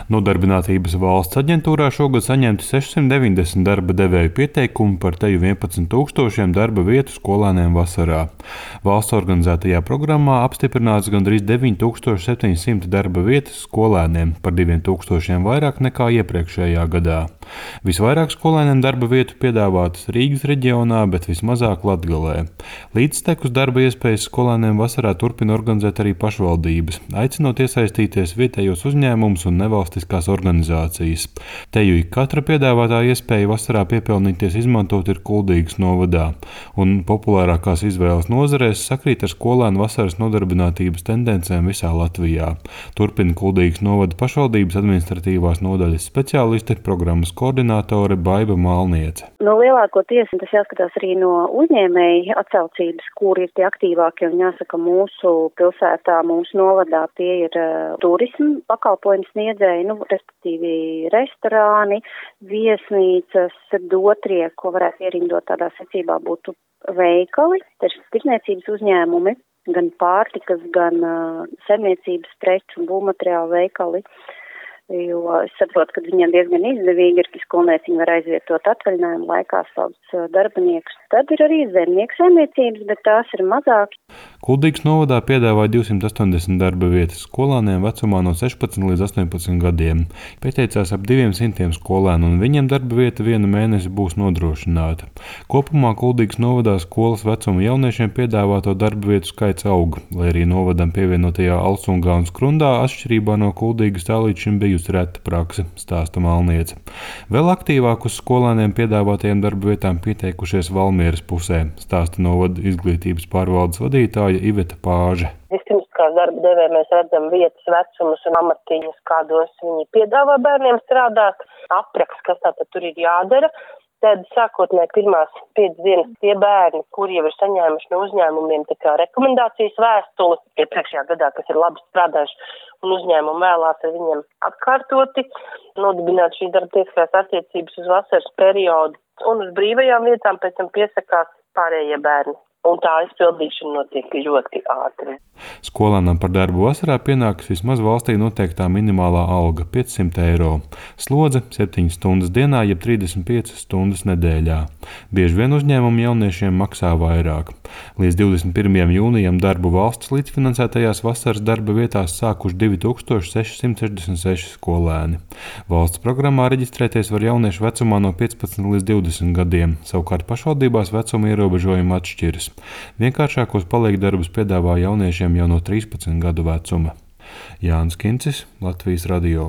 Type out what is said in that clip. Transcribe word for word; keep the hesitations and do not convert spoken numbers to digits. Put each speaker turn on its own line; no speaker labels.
Nodarbinātības valsts aģentūrā šogad saņemti sešsimt deviņdesmit darba devēju pieteikumi par teju vienpadsmit tūkstošiem darba vietu skolēniem vasarā. Valsts organizētajā programmā apstiprināts gandrīz deviņi tūkstoši septiņi simti darba vietas skolēniem, par diviem tūkstošiem vairāk nekā iepriekšējā gadā. Visvairāk skolēniem darba vietu piedāvātas Rīgas reģionā, bet vismazāk Latgalē. Līdztekus darba iespējas skolēniem vasarā turpina organizēt arī pašvaldības, aicinot iesaistīties vietējos uzņēmumus un nevalstiskās organizācijas. Teju katra piedāvātā iespēja vasarā piepelnīties izmantot ir Kuldīgas novadā, un populārākās izvēles nozarēs sakrīt ar skolēnu vasaras nodarbinātības tendencēm visā Latvijā. Turpina Kuldīgas novada pašvaldības administratīvās nodaļas speciāliste, programmas koordinātore Baiba Malniece.
No lielākoties tas jāskatās arī no uzņēmēju atsaucības, kur ir tie aktīvākie, un jāsaka, mūsu pilsētā, mūsu novadā tie ir uh, turismu pakalpojumu sniedzēji, nu, respektīvi restorāni, viesnīcas, dotrie, ko varētu ierindot tādā secībā būtu veikali, tirdzniecības uzņēmumi, gan pārtikas, gan uh, saimniecības preču un būvmateriālu veikali. Jo es saprotu, ka viņiem diezgan izdevīgi ir, ka skolnieciņi var aizvietot atvaļinājumu laikā savus darbiniekus. Tad ir arī zemnieku saimniecības, bet tās ir mazāk.
Kuldīgas novadā piedāvāja divsimt astoņdesmit darba vietas skolēniem vecumā no sešpadsmit līdz astoņpadsmit gadiem. Pieteicās ap diviem simtiem skolēnu, un viņiem darba vieta vienu mēnesi būs nodrošināta. Kopumā Kuldīgas novadā skolas vecuma jauniešiem piedāvāto darba vietu skaits aug, lai arī novadam pievienotajā Alsungā un Skrundā atšķirībā no Kuldīgas tā līdz šim bijusi reta prakse, stāsta Malniece. Vēl aktīvāk uz skolēniem piedāvātajiem darba vietām pieteikušies Valmieras pusē, stāsta novada izglītības pārvaldes vadītāja Iveta Pāže.
Vispirms, kā darba devē, mēs redzam vietas, vecumus un amatiņus, kādos viņi piedāvā bērniem strādāt, apraksts, kas tātad tur ir jādara. Tad sākotnēji pirmās piecas dienas tie bērni, kuri jau ir saņēmuši no uzņēmumiem tā kā rekomendācijas vēstuli, iepriekšējā gadā, kas ir labi strādājuši, un uzņēmumi vēlās ar viņiem atkārtoti, nodibināt šīs darba tiesiskās attiecības uz vasaras periodu, un uz brīvajām vietām pēc tam piesakās pārējie bērni. Un tā izpildīšana notiek ļoti ātri.
Skolēnam par darbu vasarā pienākas vismaz valstī noteiktā minimālā alga – piecsimt eiro. Slodze – septiņas stundas dienā, jeb trīsdesmit piecas stundas nedēļā. Bieži vien uzņēmumi jauniešiem maksā vairāk. Līdz divdesmit pirmajam jūnijam darbu valsts līdzfinansētajās vasaras darba vietās sākuši divi tūkstoši seši simti sešdesmit seši skolēni. Valsts programmā reģistrēties var jauniešu vecumā no piecpadsmit līdz divdesmit gadiem, savukārt pašvaldībās vecuma ierobežojumi atšķiras. Vienkāršākos palīgdarbus piedāvā jauniešiem jau no trīspadsmit gadu vecuma. Jānis Kincis, Latvijas radio.